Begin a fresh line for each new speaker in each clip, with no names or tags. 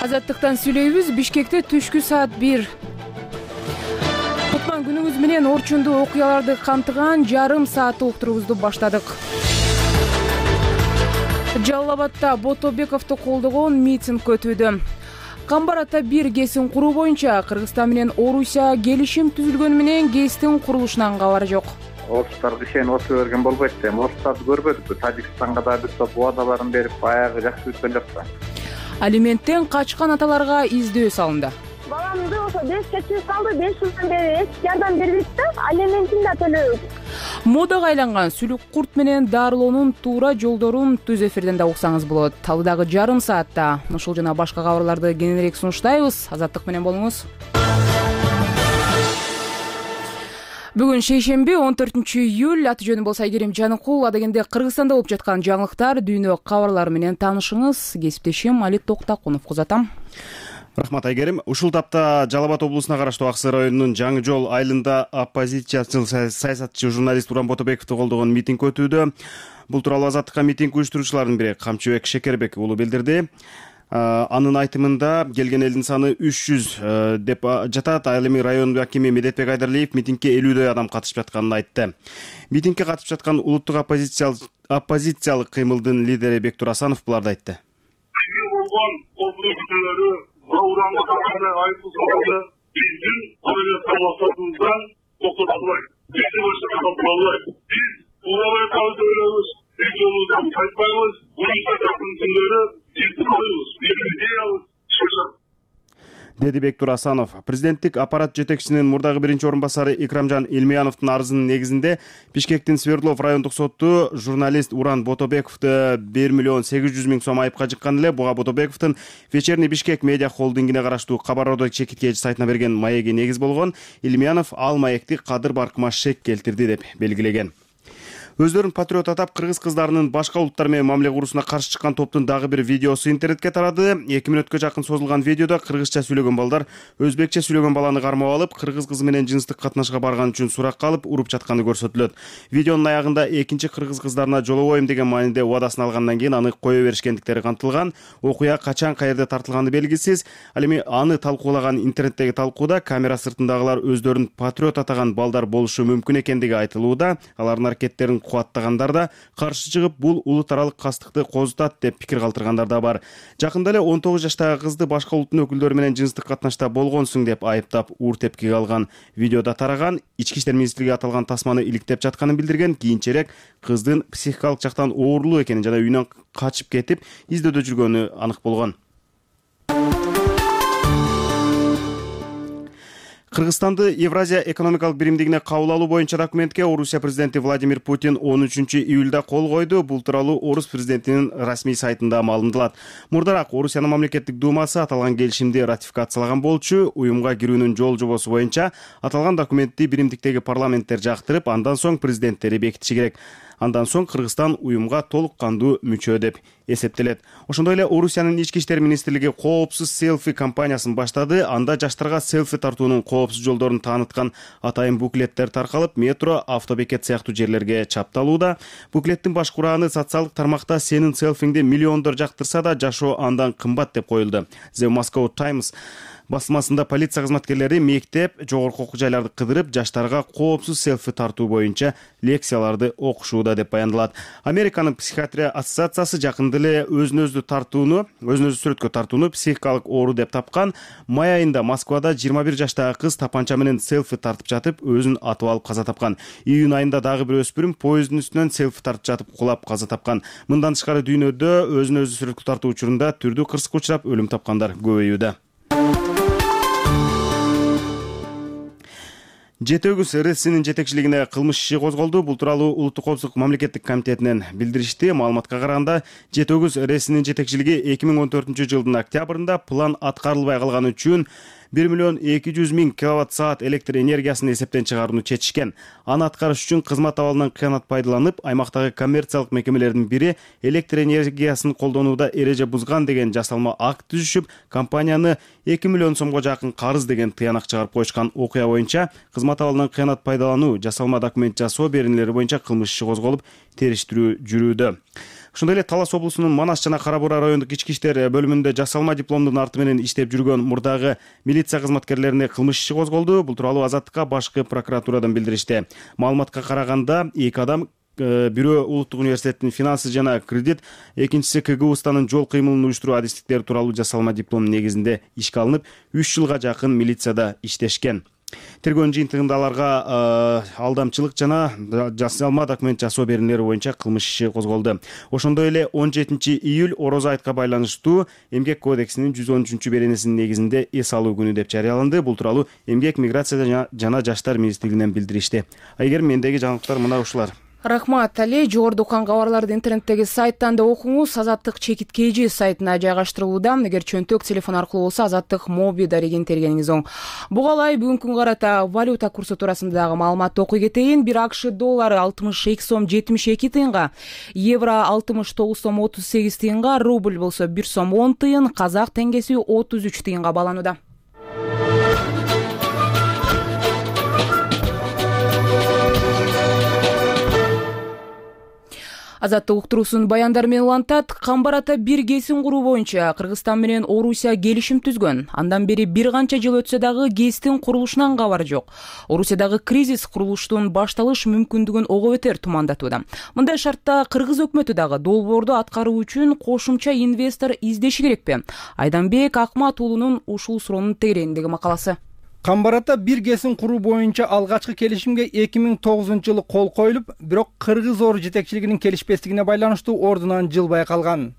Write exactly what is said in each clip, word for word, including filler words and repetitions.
Азаттыктан сүйлөйбүз. Бишкекте түшкү саат бир. Кутман күнүңүз менен орчундуу окуяларды камтыган жарым сааттык уктуруубузду баштадык. Жалал Абадда Ботобековду колдогон митинг өтүүдө. Камбар ата бир ГЭСин куруу боюнча Кыргызстан менен Орусия келишим түзүлгөнү менен ГЭСтин курулушунан кабар жок.
Орустарга ишенip отура берген болбойт да. Орустарды көрбөдүкпү? Тажикстанга да бир топ убадаларын берип, баягы жакшы өткөн жок да.
Алименттен качкан аталарга издөө салынды.
Баламды ошо беш чечүү салды, беш жылдан бери эч жардам бербейт да, алиментин да төлөбөйт.
Модага айланган сүлүк курт менен дарылоонун туура жолдорун түз эфирден да уксаңыз болот. Талдагы жарым саатта ушул жана башка кабарларды кененирээк сунуштайбыз. Азаттык менен болуңуз. Бүгүн шейшемби он төртүнчү июль, аты жөнүм болсо Айгерим Жаныкул. Адегенде Кыргызстанда болуп жаткан жаңылыктар, дүйнө кабарлары менен таанышыңыз. Кесиптешим Али Токтакунов узатам.
Рахмат Айгерим. Ушул тапта Жалал Абад облусуна караштуу Ак Сай районунун Жаңы жол айылында оппозициячыл саясатчы журналист Уран Ботобековду колдогон митинг өтүүдө. Бул тууралуу Азаттыкка митинг уюштуруучулардын бири Камчыбек Шекербек уулу билдирди. Анын айтымында келген элдин саны үч жүз деп жатат. Ал эми район акими Медетбек Айдарлиев митингке элүүдөй адам катышып жатканын айтты. Митингке катышып жаткан улуттук оппозициялык оппозициялык кыймылдын лидери Бектур Асанов буларды айтты.
Уран Ботобековду айыппул салганда биздин адалеттен максатыбыздан токтотулбайт. Бизди башка токтотулбайт. Биз улабайтабызды ойлойбуз, биз жолубуздан кайтпайбыз. Муну сататын күндөрү биздин оюбуз, биздин идеябыз чыгышат,
деди Бектур Асанов. Президенттик аппарат жетекчисинин мурдагы биринчи орун басары Икрамжан Илмияновдун арызынын негизинде Бишкектин Свердлов райондук соту журналист Уран Ботобековду бир миллион сегиз жүз миң сом айыпка жыккан эле. Буга Ботобековдун Вечерний Бишкек медиа холдингине караштуу Кабар-Одо чекиткечи сайтына берген маеги негиз болгон. Илмиянов ал маекти кадыр баркыма шек келтирди деп белгилеген. Өздөрүн патриот атап, кыргыз кыздарынын башка улуттар менен мамиле куруусуна каршы чыккан топтун дагы бир видеосу интернетке тарады. эки мүнөткө жакын созулган видеодо кыргызча сүйлөгөн балдар өзбекче сүйлөгөн баланы кармап алып, кыргыз кызы менен жыныстык катнашка барган үчүн суракка алып, уруп жатканы көрсөтүлөт. Видеонун аягында экинчи кыргыз кыздарына жолобойм деген мааниде убадасын алгандан кийин аны кое беришкендиктери камтылган. Окуя качан каерде тартылганы белгисиз. Ал эми аны талкуулаган интернеттеги талкууда камера сыртындагылар өздөрүн патриот атаган балдар болушу мүмкүн экендиги айтылууда. Алардын аракеттерин кубаттагандар да, каршы чыгып, бул улут аралык кастыкты козутат деп пикир калтыргандар да бар. Жакында эле он тогуз жаштагы кызды башка улуттун өкүлдөрү менен жыныстык катнашта болгонсуң деп айыптап, уур тепкиге алган. Видеодо тараган. Ички иштер министрлиги аталган тасманы иликтеп жатканын билдирген. Кийинчерээк кыздын психикалык жактан оорурлуу экенин жана үйүнөн качып кетип, издөөдө жүргөнү анык болгон. Кыргызстанды Евразия экономикалык биримдигине кабыл алуу боюнча документке Орусия президенти Владимир Путин он үчүнчү июлда кол койду. Бул тууралуу Орус президентинин расмий сайтында маалымдалат. Мурдараак Орусиянын мамлекеттик думасы аталган келишимди ратификациялаган болчу. Уюмга кирүүнүн жол жобосу боюнча аталган документти биримдиктеги парламенттер жактырып, андан соң президенттери бекитиши керек. Андан соң Кыргызстан уюмга толук кандуу мүчө деп эсептелет. Ошондой эле Орусиянын ички иштер министрлиги коопсуз селфи кампаниясын баштады. Анда жаштарга селфи тартуунун коопсуз жолдорун тааныткан атайын буклеттер таркалып, метро, автобекет сыяктуу жерлерге чапталууда. Буклеттин баш курааны социалдык тармакта сенин селфиңди миллиондор жактырса да жашоо андан кымбат деп коюлду. The Moscow Times басмасында полиция кызматкерлери мектеп, жогорку окуу жайларды кыдырып, жаштарга коопсуз селфи тартуу боюнча лекцияларды окушууда деп баяндалат. Американын психиатрия ассоциациясы жакында эле өзүн өзү тартууну, өзүн өзү сүрөткө тартууну психикалык оору деп тапкан. Май айында Москвада жыйырма бир жаштагы кыз тапанча менен селфи тартып жатып, өзүн атып алып каза тапкан. Июнь айында дагы бир өспүрүм поезддин үстүнөн селфи тартып жатып кулап каза тапкан. Мындан тышкары дүйнөдө өзүн өзү сүрөткө тартуу учурунда түрдүү кырсыкка учурап өлүм тапкандар көбөйүүдө. Жети өгүз РСинин жетекчилигине кылмыш иши козголду. Бул тууралуу Улуттук коопсуздук мамлекеттик комитетинен билдиришти. Маалыматка караганда, Жети өгүз РСинин жетекчилиги эки миң он төртүнчү жылдын октябрында план аткарылбай калганы үчүн бир миллион эки жүз миң киловатт саат электр энергиясын эсептен чыгарууну чечишкен. Аны аткарыш үчүн кызмат абалынан кыянат пайдаланып, аймактагы коммерциялык мекемелердин бири электр энергиясын колдонууда эреже бузган деген жасалма акт түзүшүп, компанияны эки миллион сомго жакын карыз деген тыянак чыгарып коюшкан. Окуя боюнча кызмат абалынан кыянат пайдалануу, жасалма документ жасоо беренелери боюнча кылмыш иши козголуп, териштирүү жүрүүдө. Ошондой эле Талас облусунун Манас жана Кара Буура райондук ички иштер бөлүмүндө жасалма дипломдун арты менен иштеп жүргөн мурдагы милиция кызматкерлерине кылмыш иши козголду. Бул тууралуу Азаттыкка башкы прокуратурадан билдиришти. Маалыматка караганда эки адам, бирөө Улуттук университеттин финансы жана кредит, экинчиси К Г Устанын жол кыймылын уюштуруу адистиктери тууралуу жасалма диплом негизинде ишке алынып, үч жылга жакын милицияда иштешкен. Тергөөнүн жыйынтыгында аларга алдамчылык жана жасалма документ жасоо берүүлөрү боюнча кылмыш иши козголду. Ошондой эле он жетинчи июль Орозо айтка байланыштуу Эмгек кодексинин жүз он үчүнчү беренесинин негизинде эс алуу күнү деп жарыяланды. Бул тууралуу Эмгек, миграция жана жаштар министрлигинен билдиришти. Айгерим, мендеги жаңылыктар мына ушулар.
Рахмат, Али. Жогоруда уккан кабарларды интернеттеги сайттан да окуңуз. Азаттык чекит kg сайтына жайгаштырылууда. Эгер чөнтөк телефон аркылуу болсо Азаттык моби дарегин тергениңиз оң. Буга ылай бүгүнкү күнгө карата валюта курсу туурасында дагы маалыматты окуй кетейин. бир АКШ доллары алтымыш эки сом жетимиш эки тыйынга, евро алтымыш тогуз сом отуз сегиз тыйынга, рубль болсо бир сом он тыйын, казак теңгеси отуз үч тыйынга бааланууда. Азаттык уктуруусунун баяндары менен улантат. Камбар ата бир кесин куруу боюнча Кыргызстан менен Орусия келишим түзгөн. Андан бери бир канча жыл өтсө дагы ГЭСтин курулушунан кабар жок. Орусиядагы кризис курулуштун башталыш мүмкүндүгүн ого бетер тумандатууда. Мындай шартта Кыргыз өкмөтү дагы долбоорду аткаруу үчүн кошумча инвестор издеши керекпи? Айданбек Акмат уулунун ушул суроонун тегерегиндеги макаласы.
Камбар ата бир кесин куруу боюнча алгачкы келишимге эки миң тогузунчу жылы кол коюлуп, бирок Кыргыз ор жетекчилигинин келишпестигине байланыштуу ордунан жылбай калган.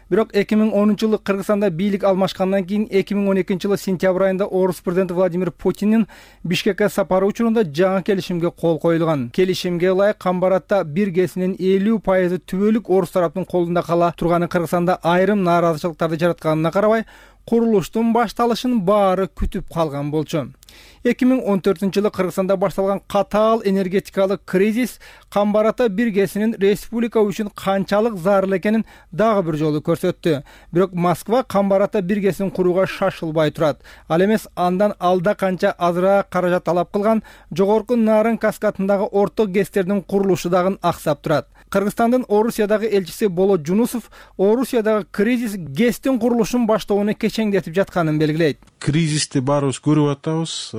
Бирок эки миң онунчу жылы Кыргызстанда бийлик алмашкандан кийин эки миң он экинчи жылы сентябрь айында Орус президенти Владимир Путиндин Бишкекке сапары учурунда жаңы келишимге кол коюлган. Келишимге ылайык Камбар ата бир кесинин элүү пайызы түбөлүк орус тараптын колунда кала турганы Кыргызстанда айрым нааразычылыктарды жаратканына карабай, курулуштун башталышын баары күтүп калган болчу. эки миң он төртүнчү жылы Кыргызстанда башталган катаал энергетикалык кризис Камбар ата бир кесинин республика үчүн канчалык зарыл экенин дагы бир жолу көрсөттү. Бирок Москва Камбар ата бир кесин курууга шашылбай турат. Ал эмес андан алда канча азыраак каражат талап кылган жогорку Нарын каскадындагы орто ГЭСтердин курулушу дагы аксап турат. Кыргызстандын Орусиядагы элчиси Болот Жунусов Орусиядагы кризис ГЭСтин курулушун баштоону кечеңдетип жатканын белгилейт.
Кризисти баарыбыз көрүп атабыз.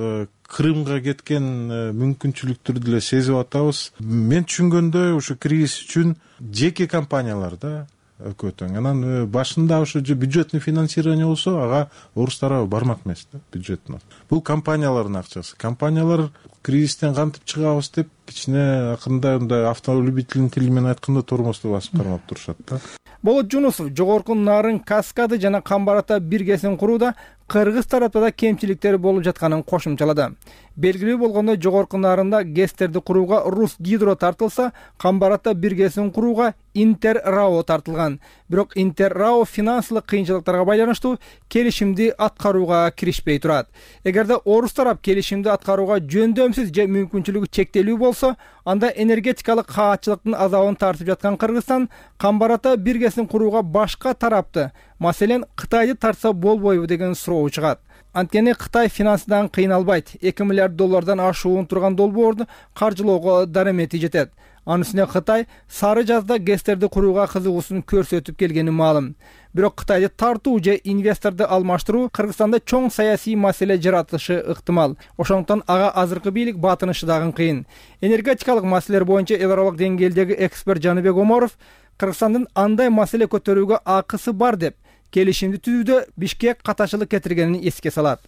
Крымга кеткен мүмкүнчүлүктөрдү деле сезип атабыз. Мен түшүнгөндөй ушу кризис үчүн жеке компаниялар да өкөтөң. Анан башында ушу бюджетный финансирование болсо, ага орус тарабы бармак эмес да бюджеттин. Бул компаниялардын акчасы. Компаниялар кризистен кантип чыгабыз деп кичине акырында мындай автолюбительдин тили менен айтканда тормозду басып кармап турушат да.
Болот Жунусов жогорку Нарын каскады жана Камбар ата бир кесин курууда Кыргыз тарапта да кемчиликтери болуп жатканын кошумчалады. Белгилүү болгондой жогорку Нарында ГЭСтерди курууга Рус Гидро тартылса, Камбар ата бир кесин курууга Интер РАО тартылган. Бирок Интер РАО финансылык кыйынчылыктарга байланыштуу келишимди аткарууга киришпей турат. Эгерде орус тарап келишимди аткарууга жөндөмсүз же мүмкүнчүлүгү чектелүү болсо, анда энергетикалык каатчылыктын азабын тартып жаткан Кыргызстан Камбар ата бир кесин курууга башка тарапты, маселен Кытайды тартса болбойбу деген суроо чыгат. Анткени Кытай финансыдан кыйналбайт. эки миллиард доллардан ашуун турган долбоорду каржылоого даремети жетет. Анын үстүнө Кытай сары жазда ГЭСтерди курууга кызыгуусун көрсөтүп келгени маалым. Бирок Кытайды тартуу же инвесторду алмаштыруу Кыргызстанда чоң саясий маселе жаратышы ыктымал. Ошондуктан ага азыркы бийлик батынышы дагы кыйын. Энергетикалык маселелер боюнча эл аралык деңгээлдеги эксперт Жаныбек Оморов Кыргызстандын андай маселе көтөрүүгө акысы бар деп келишимди түзүүдө Бишкек каташылык кетиргенин эске салат.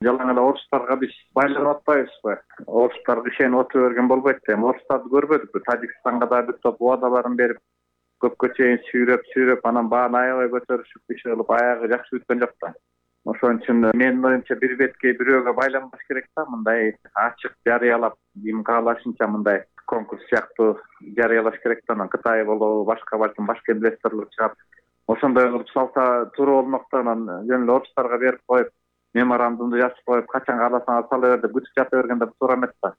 Жалаң эле орустарга биз байланып атпайбызбы? Орустар кишени отуп берген болбойт дейм. Орустарды көрбөдүкпү? Тажикстанга да бир топ убадаларын берип, көпкө чейин сүйрөп, сүйрөп, анан бааны аябай көтөрүшүп иш кылып, аягы жакшы бүткөн жок да. Ошон үчүн менин оюмча бир бетке бирөөгө байланбаш керек да, мындай ачык жарыялап, ким каалашынча мындай конкурс сыяктуу жарыялаш керек да. Анан Кытай болобу, башка балким башка инвесторлор чыгат. Ошондой кылып салса туура болмок да. Анан жөн эле орустарга берип коюп, меморандумду жазып коюп, качан кааласаңар сала бер деп күтүп жата бергенде туура эмес да.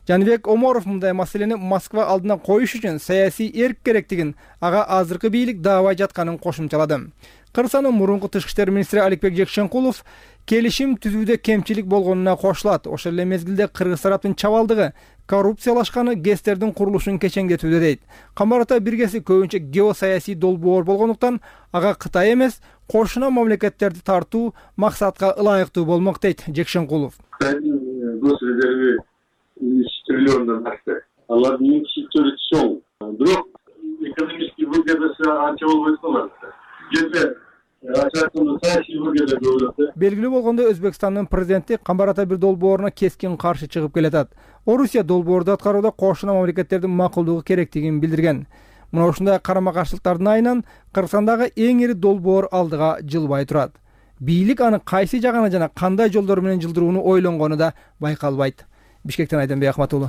Жаныбек Оморов мындай маселени Москва алдына коюш үчүн саясий эрк керектигин ага азыркы бийлик даабай жатканын кошумчалады. Кыргызстандын мурунку тышкы иштер министри Аликбек Жекшенкулов келишим түзүүдө кемчилик болгонуна кошулат. Ошол эле мезгилде Кыргыз тараптын чабалдыгы коррупциялашканы гэстердин курулушун кечеңдетүүдө дейт. Камбар Ата биргеси көбүнчө геосаясий долбоор болгондуктан ага Кытай эмес, кошуна мамлекеттерди тартуу максатка ылайыктуу болмок дейт Жекшенкулов.
Кытайдын гос резерви үч триллиондон ашты. Алардын инвестициялары чоң. Бирок экономический выгодасы анча болбойт калат. Жерде
белгилүү болгондой, Өзбекстандын президенти Камбар Ата бир долбооруна кескин каршы чыгып келатат. Орусия долбоорду аткарууда кошуна мамлекеттердин макулдугу керектигин билдирген. Мына ушундай карама-каршылыктардын айынан Кыргызстандагы эң ири долбоор алдыга жылбай турат. Бийлик аны кайсы жагына жана кандай жолдор менен жылдырууну ойлонгону да байкалбайт. Бишкектен Айденбек Ахматуллу.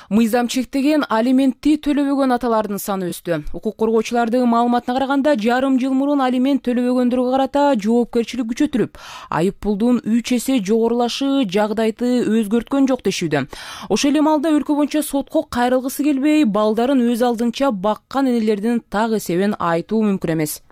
Мыйзам чектеген алиментти төлөбөгөн аталардын саны өстү. Укук коргоочулардын маалыматына караганда, жарым жыл мурун алимент төлөбөгөндөргө карата жоопкерчилик күчөтүлүп, айып пулдун үч эсе жогорулашы жагдайды өзгөрткөн жок дешүүдө. Ошол эле маалда өлкө боюнча сотко кайрылгысы келбей, балдарын өз алдынча баккан энелердин так эсебин айтуу мүмкүн эмес.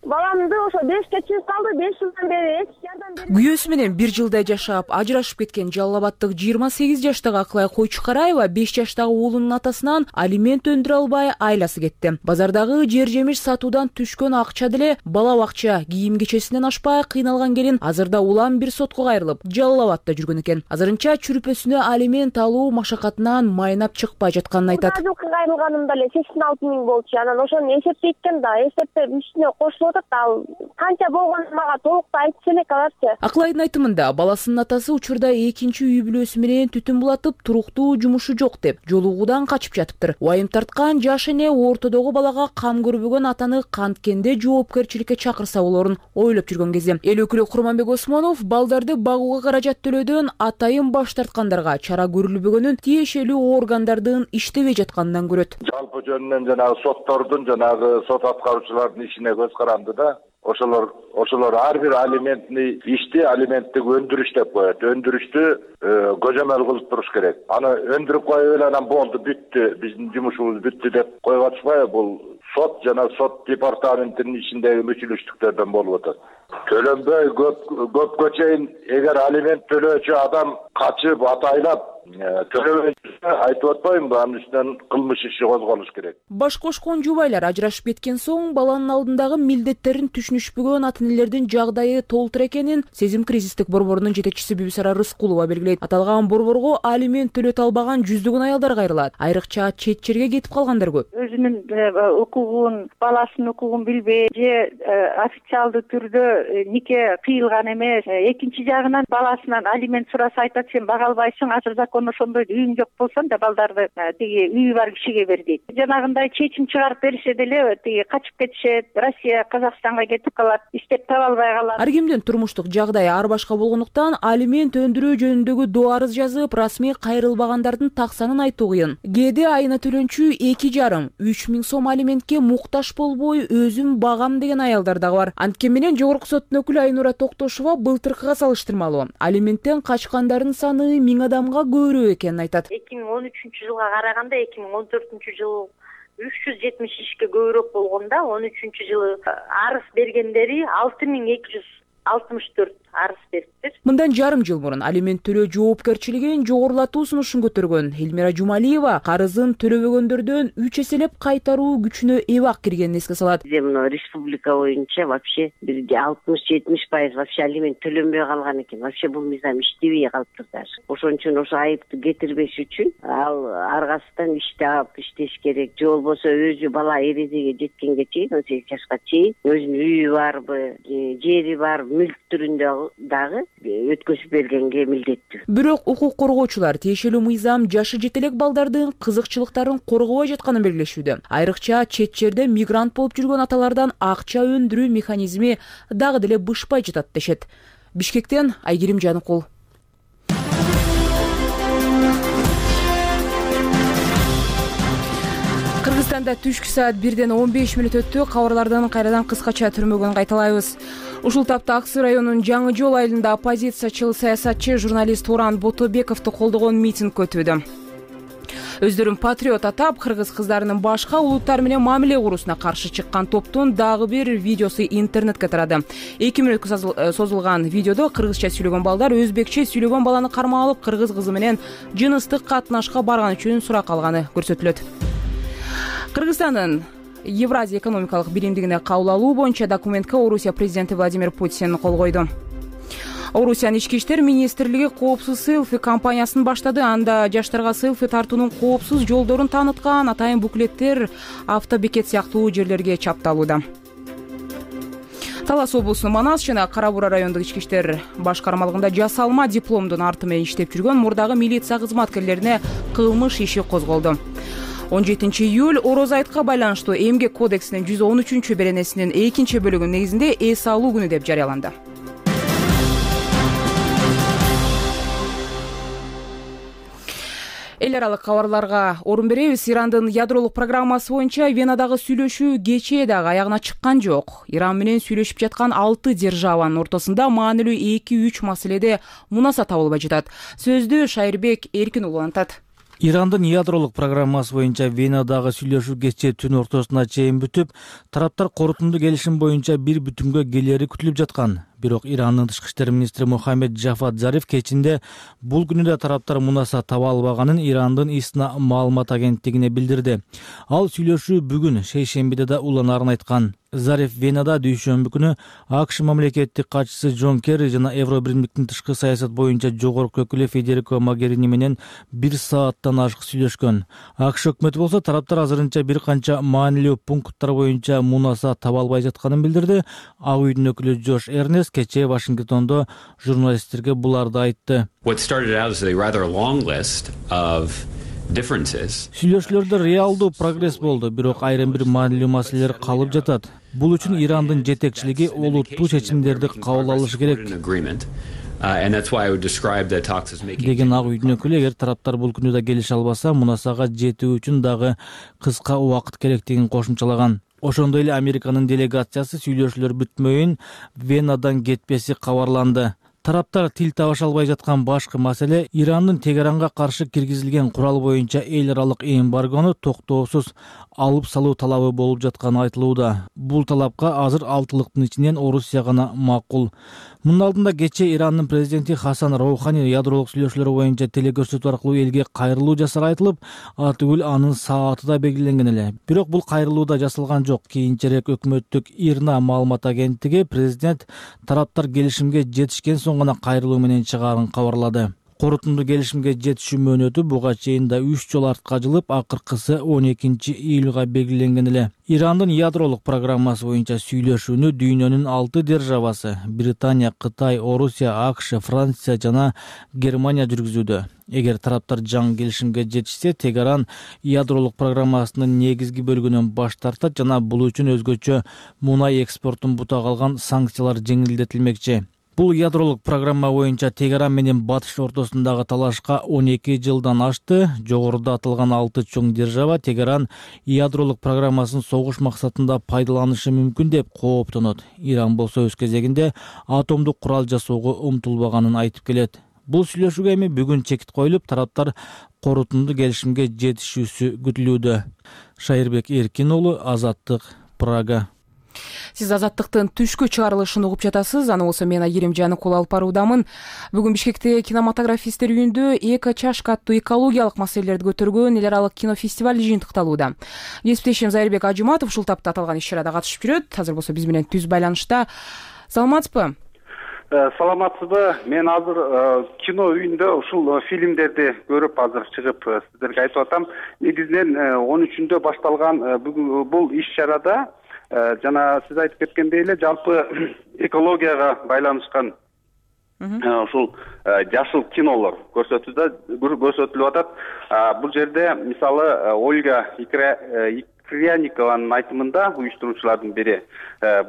Баламды ошо бешке чыгып калды, беш жылдан бери эч жардам бербей.
Күйөөсү менен бир жылдай жашап, ажырашып кеткен Жалал Абадтык жыйырма сегиз жаштагы Аклай Койчукараева беш жаштагы уулунун атасынан алимент өндүрө албай айласы кетти. Базардагы жер жемиш сатуудан түшкөн акча деле бала бакча, кийим кечесинен ашпай кыйналган келин азырда улам бир сотко кайрылып, Жалал Абадта жүргөн экен. Азырынча чүрүпөсүнө алимент алуу машакатынан майнап чыкпай жатканын айтат.
Жылкы кайрылганымда эле сексен алты миң болчу. Анан ошону эсептейт экен да, эсептеп үстүнө кошулуп ал канча болгонун мага толуктуу айтып элек аларчы.
Аклайдын айтымында, баласынын атасы учурда экинчи үй бүлөсү менен түтүн булатып, туруктуу жумушу жок деп жолугуудан качып жатыптыр. Уайым тарткан жаш эне ортодогу балага кам көрбөгөн атаны канткенде жоопкерчиликке чакырса болорун ойлоп жүргөн кезде, эл өкүлү Курманбек Осмонов балдарды багууга каражат төлөөдөн атайын баш тарткандарга чара көрүлбөгөнүн тиешелүү органдардын иштебей жатканынан көрөт.
Жалпы жөнүнөн жанагы соттордун, жанагы сот аткаруучулардын ишине көз каранды да. Ошолор ошолор ар бир алиментни ишти алименттик өндүрүш деп коет. Өндүрүштү көзөмөл кылып туруш керек. Аны өндүрүп коюп эле анан болду, бүттү, биздин жумушубуз бүттү деп коюп атышпайбы? Бул сот жана сот департаментинин ичиндеги мүчүлүштүктөрдөн болуп атат. Төлөнбөй көп көпкө чейин эгер алимент төлөөчү адам качып атайлап төлөбөй айтып атпаймынбы, анын үстүнөн кылмыш иши козголуш керек.
Баш кошкон жубайлар ажырашып кеткен соң баланын алдындагы милдеттерин түшүнүшпөгөн ата энелердин жагдайы толтур экенин Сезим кризистик борборунун жетекчиси Бүбүсара Рыскулова белгилейт. Аталган борборго алимент төлөтө албаган жүздөгөн аялдар кайрылат. Айрыкча чет жерге кетип калгандар көп.
Өзүнүн укугун, баласынын укугун билбей же официалдуу түрдө нике кыйылган эмес. Экинчи жагынан баласынан алимент сураса айтат, сен бага албайсың, азыр закон ошондой, үйүң жок болсоң да балдарды тиги үйү бар кишиге бер дейт. Жанагындай чечим чыгарып беришсе деле тиги качып кетишет, Россия, Казакстанга кетип калат, иштеп таба албай калат.
Ар кимдин турмуштук жагдайы ар башка болгондуктан алимент өндүрүү жөнүндөгү доо арыз жазып, расмий кайрылбагандардын так санын айтуу кыйын. Кээде айына төлөнчү эки жарым үч миң сом алиментке муктаж болбой өзүм багам деген аялдар дагы бар. Анткени менен жогорку соттун өкүлү Айнура Токтошова былтыркыга салыштырмалуу алименттен качкандардын саны миң адамга көбүрөөк экенин айтат.
эки миң он үчүнчү жылга караганда эки миң он төртүнчү жыл үч жүз жетимиш ишке көбүрөөк болгондо, он үчүнчү жылы арыз бергендери алты миң эки жүз алтымыш төрт арыз бериптир.
Мындан жарым жыл мурун алимент төлөө жоопкерчилигин жогорулатуу сунушун көтөргөн Элмира Жумалиева карызын төлөбөгөндөрдөн үч эселеп кайтаруу күчүнө эбак киргенин эске салат.
Мына республика боюнча вообще бир алтымыш жетимиш пайыз вообще алимент төлөнбөй калган экен. Вообще бул мыйзам иштебей калыптыр даже. Ошон үчүн ошо айыпты кетирбеш үчүн ал аргасынан иштеп иштеш керек. Же болбосо өзү бала эрежеге жеткенге чейин, он сегиз жашка чейин өзүнүн үйү барбы, жери бар, мүлк түрүндө дагы өткөзүп бергенге милдеттүү.
Бирок укук коргоочулар тиешелүү мыйзам жашы жетелек балдардын кызыкчылыктарын коргобой жатканын белгилешүүдө. Айрыкча чет жерде мигрант болуп жүргөн аталардан акча өндүрүү механизми дагы деле бышпай жатат дешет. Бишкектен Айгерим Жаныкул. Кыргызстанда түшкү саат бирден он беш мүнөт өттү. Кабарлардан кайрадан кыскача түрмөгөн кайталайбыз. Ушул тапта Аксы районунун Жаңы Жол айылында оппозициячыл саясатчы журналист Уран Ботобековду колдогон митинг өтүүдө. Өздөрүн патриот атап, кыргыз кыздарынын башка улуттар менен мамиле куруусуна каршы чыккан топтун дагы бир видеосу интернетке тарады. эки мүнөткө созулган видеодо кыргызча сүйлөгөн балдар өзбекче сүйлөгөн баланы кармап алып, кыргыз кызы менен жыныстык катнашка барган үчүн сурак алганы көрсөтүлөт. Кыргызстандын Евразия экономикалык биримдигине кабыл алуу боюнча документке Орусия президенти Владимир Путин кол койду. Орусиянын ички иштер министрлиги коопсуз селфи кампаниясын баштады. Анда жаштарга селфи тартуунун коопсуз жолдорун тааныткан атайын буклеттер автобекет сыяктуу жерлерге чапталууда. Талас облусунун Манас жана Кара Бура райондук ички иштер башкармалыгында жасалма дипломдун арты менен иштеп жүргөн мурдагы милиция кызматкерлерине кылмыш иши козголду. он жетинчи июль Ороз айтка байланыштуу эмгек кодексинин жүз он үчүнчү беренесинин экинчи бөлүгүнүн негизинде эс алуу күнү деп жарыяланды. Эл аралык кабарларга орун беребиз. Ирандын ядролук программасы боюнча Венадагы сүйлөшүү кечээ дагы аягына чыккан жок. Иран менен сүйлөшүп жаткан алты державанын ортосунда маанилүү эки үч маселеде мунаса табылбай жатат. Сөздү Шайырбек Эркин уулу антат.
Ирандын ядролук программасы боюнча Венадагы сүйлөшүү кечээ түн ортосуна чейин бүтүп, тараптар корутунду келишим боюнча бир бүтүмгө келери күтүлүп жаткан. Бирок Ирандын тышкы иштер министри Мухаммед Джафад Зариф кечинде бул күнү да тараптар мунаса таба албаганын Ирандын ИСНА маалымат агенттигине билдирди. Ал сүйлөшүү бүгүн шейшембиде да уланарын айткан. Зариф Венада дүйшөмбү күнү АКШ мамлекеттик катчысы Джон Керри жана Евро биримдиктин тышкы саясат боюнча жогорку өкүлү Федерико Могерини менен бир сааттан ашык сүйлөшкөн. АКШ өкмөтү болсо тараптар азырынча бир канча маанилүү пункттар боюнча мунаса таба албай жатканын билдирди. Ак үйдүн өкүлү Джош Эрнест кечээ Вашингтондо журналисттерге буларды айтты. Сүйлөшүүлөрдө реалдуу прогресс болду, бирок айрым бир маанилүү маселелер калып жатат. Бул үчүн Ирандын жетекчилиги олуттуу чечимдерди кабыл алышы керек деген Ак үйдүн өкүлү. Эгер тараптар бул күнү да келише албаса, мунасага жетүү үчүн дагы кыска убакыт керектигин кошумчалаган. Ошондой эле Американын делегациясы сүйлөшүүлөр бүтмөйүн Венадан кетпеси кабарланды. Тараптар тил табыша албай жаткан башкы маселе Ирандын Тегеранга каршы киргизилген курал боюнча эл аралык эмбаргону токтоосуз алып салуу талабы болуп жатканы айтылууда. Бул талапка азыр алтылыктын ичинен Орусия гана макул. Мунун алдында кечээ Ирандын президенти Хасан Роухани ядролук сүйлөшүүлөр боюнча телекөрсөтүү аркылуу элге кайрылуу жасары айтылып, атүгүл анын сааты да белгиленген эле. Бирок бул кайрылуу да жасалган жок. Кийинчерээк өкмөттүк ИРНА маалымат агенттиги президент тараптар келишимге жетишкен соң гана кайрылуу менен чыгаарын кабарлады. Корутунду келишимге жетишүү мөөнөтү буга чейин да үч жолу артка жылып, акыркысы он экинчи июлга белгиленген эле. Ирандын ядролук программасы боюнча сүйлөшүүнү дүйнөнүн алты державасы — Британия, Кытай, Орусия, АКШ, Франция жана Германия жүргүзүүдө. Эгер тараптар жаңы келишимге жетишсе, Тегеран ядролук программасынын негизги бөлүгүнөн баш тартат жана бул үчүн өзгөчө мунай экспортун бутак алган санкциялар жеңилдетилмекчи. Бул ядролук программа боюнча Тегеран менен Батыш ортосундагы талашка он эки жылдан ашты. Жогоруда аталган алты чоң держава Тегеран ядролук программасын согуш максатында пайдаланышы мүмкүн деп кооптонот. Иран болсо өз кезегинде атомдук курал жасоого умтулбаганын айтып келет. Бул сүйлөшүүгө эми бүгүн чекит коюлуп, тараптар корутунду келишимге жетишүүсү күтүлүүдө. Шайырбек Эркин уулу, Азаттык, Прага.
Сиз Азаттыктын түшкү чыгарылышын угуп жатасыз. Аны болсо мен Айрим Жаныкул алып баруудамын. Бүгүн Бишкекте кинематографисттер үйүндө эко-чашка аттуу экологиялык маселелерди көтөргөн эл аралык кинофестиваль жыйынтыкталууда. Кесиптешим Зайырбек Ажыматов ушул тапта аталган иш-чарада катышып жүрөт. Азыр болсо биз менен түз байланышта. Саламатсызбы?
Саламатсызбы? Мен азыр кино үйүндө ушул фильмдерди көрүп азыр чыгып сиздерге айтып атам. Негизинен он үчүндө башталган бул иш-чарада жана сиз айтып кеткендей эле жалпы экологияга байланышкан ушул жашыл кинолор көрсөтүлүп атат. Бул жерде мисалы Ольга Кряникованын айтымында уюштуруучулардын бири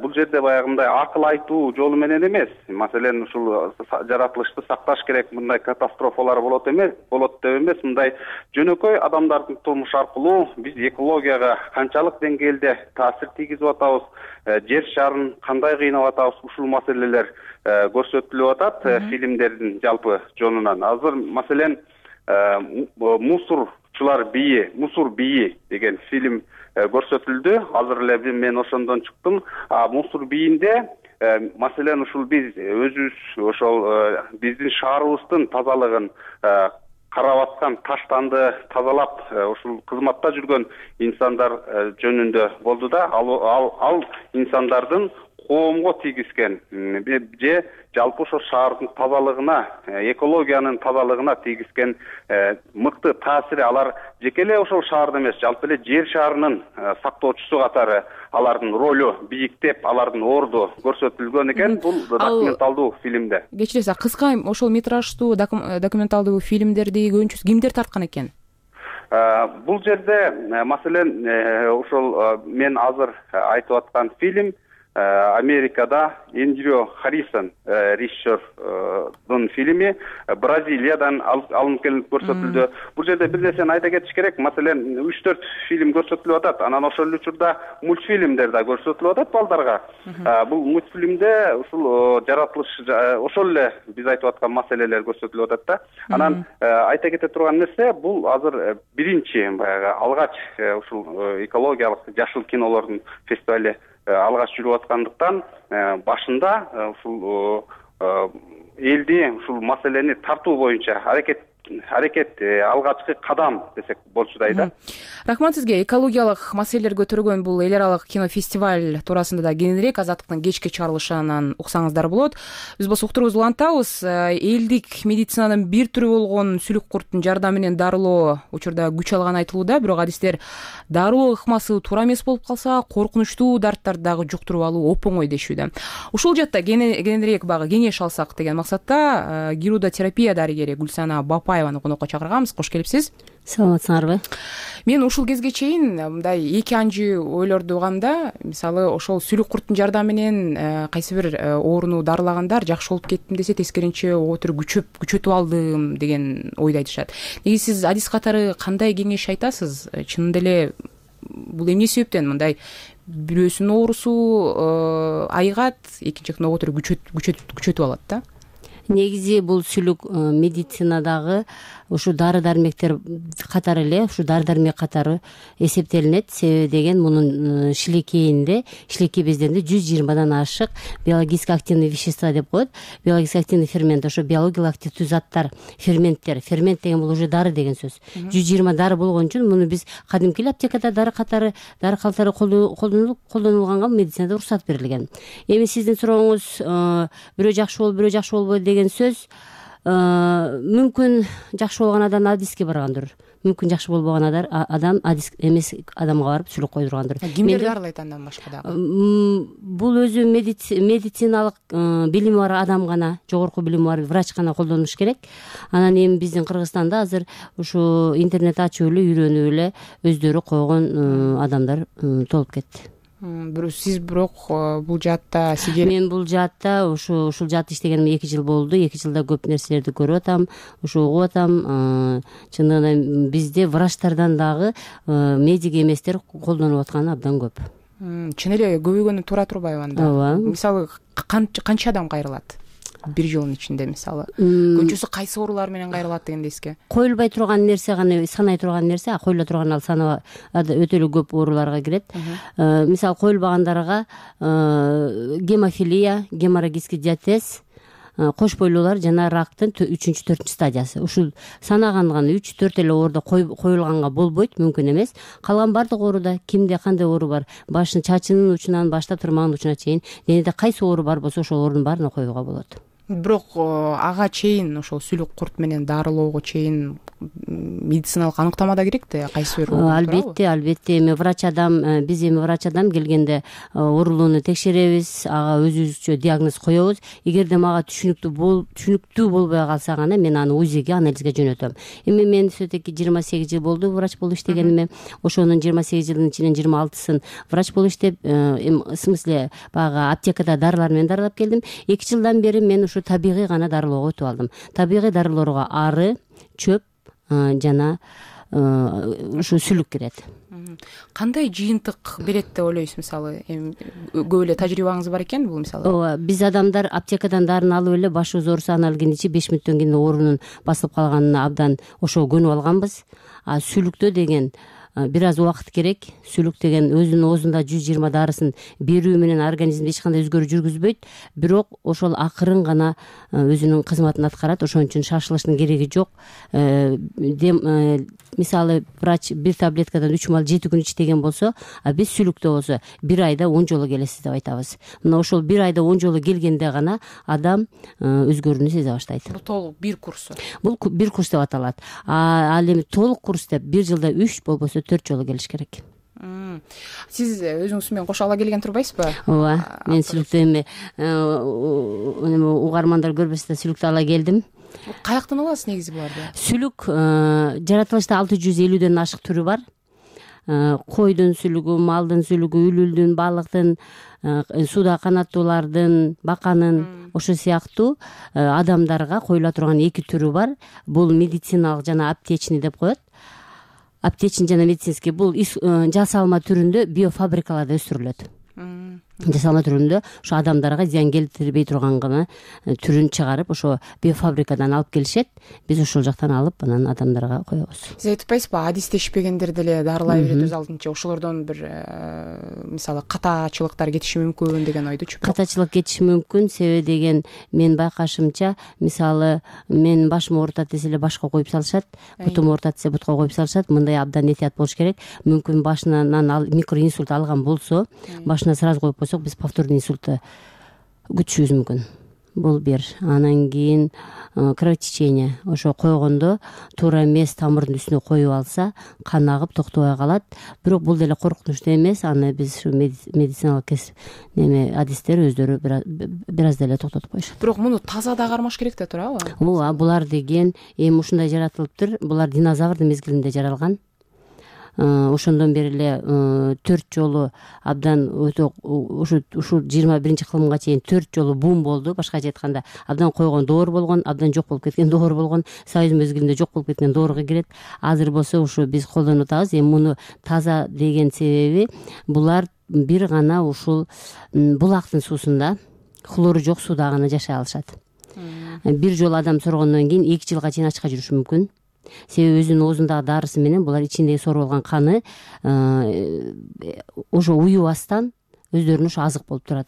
бул жерде баягындай акыл айтуу жолу менен эмес, маселен ушул жаратылышты сакташ керек, мындай катастрофалар болот эмес, болот деп эмес, мындай жөнөкөй адамдардын турмуш аркылуу биз экологияга канчалык деңгээлде таасир тийгизип атабыз, жер шарын кандай кыйнап атабыз, ушул маселелер көрсөтүлүп атат фильмдердин жалпы жонунан. Азыр маселен мусор
ушулар бийи, Мусур бийи деген фильм көрсөтүлдү. Азыр эле мен ошондон чыктым. Мусур бийинде маселен ушул биз өзүбүз ошол биздин шаарыбыздын тазалыгын карап аткан таштанды тазалап ушул кызматта жүргөн инсандар жөнүндө болду да. Ал ал инсандардын коомго тийгизген же жалпы ошо шаардын тазалыгына, экологиянын тазалыгына тийгизген мыкты таасири алар жеке эле ошол шаарда эмес, жалпы эле жер шарынын сактоочусу катары алардын ролу бийиктеп, алардын орду көрсөтүлгөн экен бул документалдуу фильмде.
Кечиресиз, кыска ошол метраждуу документалдуу фильмдерди көбүнчөсү кимдер тарткан экен?
Бул жерде маселен ошол мен азыр айтып аткан фильм Америкада Эндрю Харрисон режиссердун фильми Бразилиядан алынып келип көрсөтүлдү. Бул жерде бир нерсени айта кетиш керек. Маселен, үч төрт фильм көрсөтүлүп атат. Анан ошол учурда мультфильмдер да көрсөтүлүп атат балдарга. Бул мультфильмде ушул жаратылыш ошол эле биз айтып аткан маселелер көрсөтүлүп атат да. Анан айта кете турган нерсе, бул азыр биринчи баягы алгач ушул экологиялык жашыл кинолордун фестивали алгач жүрүп аткандыктан башында ушул элди ушул маселени тартуу боюнча аракет аракет алгачкы кадам десек болчудай да.
Рахмат сизге. Экологиялык маселелер көтөргөн бул эл аралык кинофестиваль туурасында да кененирээк Азаттыктын кечки чыгарылышынан уксаңыздар болот. Биз болсо уктуруубузду улантабыз. Элдик медицинанын бир түрү болгон сүлүк курттун жардамы менен дарылоо учурда күч алганы айтылууда, бирок адистер дарылоо ыкмасы туура эмес болуп калса, коркунучтуу дарттарды дагы жуктуруп алуу оп-оңой дешүүдө. Ушул жакта кененирээк багы кеңеш алсак деген максатта гирудотерапия дарыгери Гүлсана Бапаеваны конокко чакырганбыз. Кош келипсиз.
Саламатсыңарбы?
Мен ушул кезге чейин мындай эки анжы ойлорду угам. Мисалы, ошол сүлүк курттун жардамы менен кайсы бир ооруну дарылагандар жакшы болуп кеттим десе, тескеринче отур күчөп күчөтүп алдым деген ойду айтышат. Неге сиз адис катары кандай кеңеш айтасыз? Чынында эле бул эмне себептен мындай бирөөсүнүн оорусу айыгат, экинчи жактан отур күчөтүп алат да?
Негизи бул сүлүк медицинадагы ушу дары дармектер катары эле, ушу дары дармек катары эсептелинет. Себеби деген мунун шилекейинде, шилекей бездеринде жүз жыйырмадан ашык биологически активный вещества деп коет. Биологически активный фермент, ошо биологиялык активдүү заттар, ферменттер. Фермент деген бул уже дары деген сөз. жүз жыйырма дары болгон үчүн муну биз кадимки эле аптекада дары катары, дары катары колдонулуп, колдонулганга медицинада уруксат берилген. Эми сиздин сурооңуз бирөө жакшы болуп, бирөө жакшы болбойт деген сөз. Мүмкүн жакшы болгон адам адиске баргандыр. Мүмкүн жакшы болбогон адам адис эмес адамга барып сүлүк койдургандыр.
Кимдер дарылайт андан башка дагы?
Бул өзү медициналык билими бар адам гана, жогорку билими бар врач гана колдонуш керек. Анан эми биздин Кыргызстанда азыр ушу интернет ачып эле, үйрөнүп эле өздөрү койгон адамдар толуп кетти.
Сиз бирок бул жаатта сиге
мен бул жаатта ушу ушул жаатта иштегениме эки жыл болду. эки жылда көп нерселерди көрүп атам, ушу угуп атам. Чындыгында бизде врачтардан дагы медик эместер колдонуп атканы абдан көп.
Чын эле көбөйгөнү туура турбайбы анда?
Ооба.
Мисалы, канча адам кайрылат бир жылдын ичинде? Мисалы, көбүнчөсү кайсы оорулар менен кайрылат деген эске?
Коюлбай турган нерсе гана, санай турган нерсе, а коюла турган ал санаа өтө эле көп ооруларга кирет. Мисалы, коюлбагандарга гемофилия, геморрагический диатез, кош бойлуулар жана рактын үчүнчү төртүнчү стадиясы. Ушул санаган гана үч төрт эле ооруда коюлганга болбойт, мүмкүн эмес. Калган бардык ооруда кимде кандай оору бар, башын чачынын учунан баштап тырмагынын учуна чейин денеде кайсы оору бар болсо ошол оорунун баарына коюуга болот.
Бирок ага чейин, ошол сүлүк курт менен дарылоого чейин медициналык аныктама да керек да, кайсы бир оору?
Албетте, албетте. Эми врач адам, биз эми врач адам келгенде оорулууну текшеребиз, ага өзүбүзчө диагноз коебуз. Эгерде мага түшүнүктүү бол, түшүнүктүү болбой калса гана мен аны УЗИге, анализге жөнөтөм. Эми мен все-таки жыйырма сегиз жыл болду врач болуп иштегениме. Ошонун жыйырма сегиз жылдын ичинен жыйырма алтысын врач болуп иштеп, в смысле баягы аптекада дарылар менен дарылап келдим. эки жылдан бери мен ушу табигый гана дарылоого өтүп алдым. Табигый дарылоого ары, чөп жана ушу сүлүк кирет.
Кандай жыйынтык берет деп ойлойсуз? Мисалы эми көп эле тажрыйбаңыз бар экен бул. Мисалы
ооба, биз адамдар аптекадан дарыны алып эле башыбыз ооруса анан келгенче беш мүнөттөн кийин оорунун басылып калганына абдан ошого көнүп алганбыз. А сүлүктө деген бир аз убакыт керек. Сүлүк деген өзүнүн оозунда жүз жыйырма дарысын берүү менен организмде эч кандай өзгөрүү жүргүзбөйт, бирок ошол акырын гана өзүнүн кызматын аткарат. Ошон үчүн шашылыштын кереги жок. Мисалы врач бир таблеткадан үч маал жети күн ич деген болсо, а биз сүлүктө болсо бир айда он жолу келесиз деп айтабыз. Мына ошол бир айда он жолу келгенде гана адам өзгөрүүнү сезе баштайт.
Бул толук бир курсу.
Бул бир курс деп аталат. А ал эми толук курс деп бир жылда үч болбосо төрт жолу келиш керек.
Сиз өзүңүз менен кошо ала келген турбайсызбы?
Ооба, мен сүлүктү эми угармандар көрбөсө да сүлүктү ала келдим.
Каяктан аласыз негизи буларды?
Сүлүк жаратылышта алты жүз элүүдөн ашык түрү бар. Койдун сүлүгү, малдын сүлүгү, үлүлдүн, балыктын, сууда канаттуулардын, баканын, ошо сыяктуу адамдарга коюла турган эки түрү бар. Бул медициналык жана аптечный деп коет. Аптечный жана медицинский бул жасалма түрүндө биофабрикаларда өстүрүлөт. Жасалма түрүндө ошо адамдарга зыян келтирбей турган гана түрүн чыгарып ошо биофабрикадан алып келишет. Биз ошол жактан алып анан адамдарга коебуз.
Сиз айтпайсызбы, адистешпегендер деле дарылай берет өз алдынча, ошолордон бир мисалы катачылыктар кетиши мүмкүн деген ойдучу.
Катачылык кетиши мүмкүн, себеби деген мен байкашымча, мисалы мен башым оорутат десе эле башка коюп салышат, бутум оорутат десе бутка коюп салышат. Мындай абдан этият болуш керек. Мүмкүн башынан микроинсульт алган болсо, башына сразу коюп койсок, биз повторный инсультту күтүшүбүз мүмкүн. Бул бир. Анан кийин кровотечение. Ошо койгондо туура эмес тамырдын үстүнө коюп алса, кан агып токтобой калат. Бирок бул деле коркунучтуу эмес. Аны биз ушу медициналык неме адистер өздөрү бир аз деле токтотуп коюшат.
Бирок муну таза да кармаш керек да турабы?
Ооба, булар деген эми ушундай жаратылыптыр. Булар динозаврдын мезгилинде жаралган. Ошондон бери эле төрт жолу абдан өтө ушу ушул жыйырма биринчи кылымга чейин төрт жолу бум болду. Башкача айтканда, абдан койгон доор болгон, абдан жок болуп кеткен доор болгон, союз мезгилинде жок болуп кеткен доорго кирет. Азыр болсо ушу биз колдонуп атабыз. Эми муну таза деген себеби булар бир гана ушул булактын суусунда, хлору жок сууда гана жашай алышат. Бир жолу адам соргондон кийин эки жылга чейин ачка жүрүшү мүмкүн. Себеби өзүнүн оозундагы дарысы менен булар ичиндеги сорулган болгон каны ошо уюбастан өздөрүнө ошо азык болуп турат.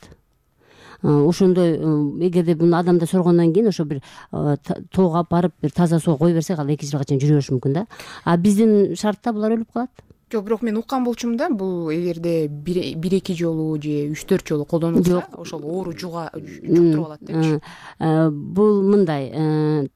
Ошондой эгерде буну адамда соргондон кийин ошо бир тоого алып барып бир таза сууга кое берсек, ал эки жылга чейин жүрө бериши мүмкүн да. А биздин шартта булар өлүп калат.
Жок, бирок мен уккан болчумун да, бул эгерде бир эки жолу же үч төрт жолу колдонулса, ошол оору жуга жуктуруп алат депчи.
Бул мындай,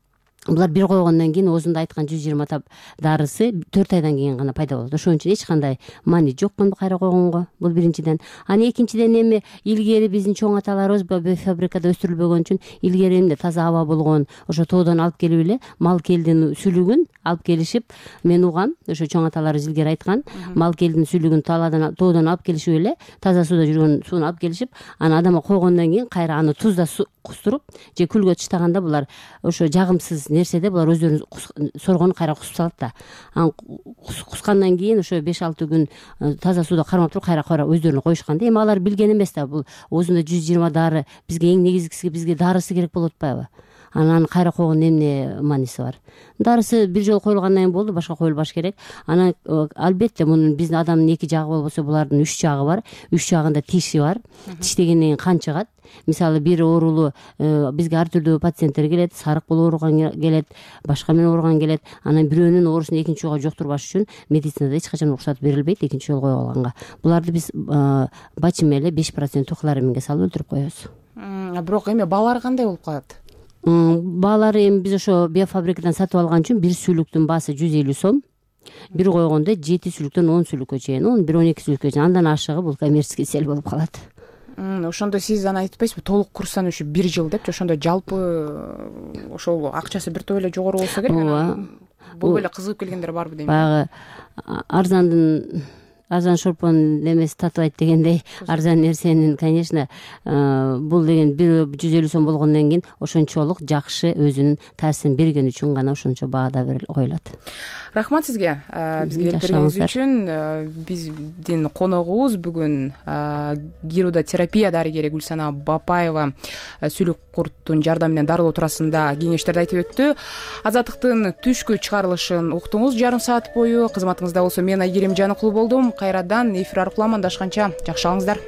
булар бир койгондон кийин оозунда айткан жүз жыйырма тап дарысы төрт айдан кийин гана пайда болот. Ошон үчүн эч кандай маани жок кайра койгонго. Бул биринчиден. Анан экинчиден эми илгери биздин чоң аталарыбыз биофабрикада өстүрүлбөгөн үчүн илгери эмне таза аба болгон, ошо тоодон алып келип эле мал келдин сүлүгүн алып келишип, мен угам, ошо чоң аталарыбыз илгери айткан, мал келдин сүлүгүн талаадан тоодон алып келишип эле таза сууда жүргөн сууну алып келишип, анан адамга койгондон кийин кайра аны тузда кустуруп же күлгө таштаганда булар ошо жагымсыз нерседе булар өздөрүнүн соргонун кайра кусуп салат да. Анан кускандан кийин ошо беш алты күн таза сууда кармап туруп кайра кайра өздөрүнө коюшкан да. Эми алар билген эмес да, бул оозунда жүз жыйырма дары бизге эң негизгиси бизге дарысы керек болуп атпайбы? Анан кайра койгондун эмне мааниси бар? Дарысы бир жолу коюлгандан кийин болду, башка коюлбаш керек. Анан албетте мунун биздин адамдын эки жагы болбосо булардын үч жагы бар. Үч жагында тиши бар. Тиш дегенден кийин кан чыгат. Мисалы бир оорулуу бизге ар түрдүү пациенттер келет, сарык болуп ооруган келет, башка менен ооруган келет. Анан бирөөнүн оорусун экинчи жолго жоктурбаш үчүн медицинада эч качан уруксат берилбейт экинчи жолу коюп алганга. Буларды биз бачим эле беш процент хлораминге салып өлтүрүп коебуз.
Бирок эми баалары кандай болуп калат?
Баалары эми биз ошо биофабрикадан сатып алган үчүн бир сүлүктүн баасы жүз элүү сом. Бир койгондо жети сүлүктөн он сүлүккө чейин, он бир он эки сүлүккө чейин, андан ашыгы бул коммерческий цель болуп калат.
Ошондо сиз аны айтпайсызбы, толук курстан ушу бир жыл депчи, ошондо жалпы ошол акчасы бир топ эле жогору болсо керек.
Ооба.
Бул эле кызыгып келгендер барбы дейм.
Баягы арзандын азан шорпон немеси татыбайт дегендей арзан нерсенин, конечно, бул деген бир жүз элүү сом болгондон кийин ошончолук жакшы өзүнүн таасирин бергени үчүн гана ошончо баада коюлат.
Рахмат сизге бизге келип бергениңиз үчүн. Биздин коногубуз бүгүн гирудотерапия дарыгери Гүлсана Бапаева сүйлөк курттун жардамы менен дарылоо туурасында кеңештерди айтып өттү. Азаттыктын түшкү чыгарылышын уктуңуз жарым саат бою. Кызматыңызда болсо мен Айгерим Жаныкулу болдум. Кайрадан эфир аркылуу амандашканча жакшы алыңыздар.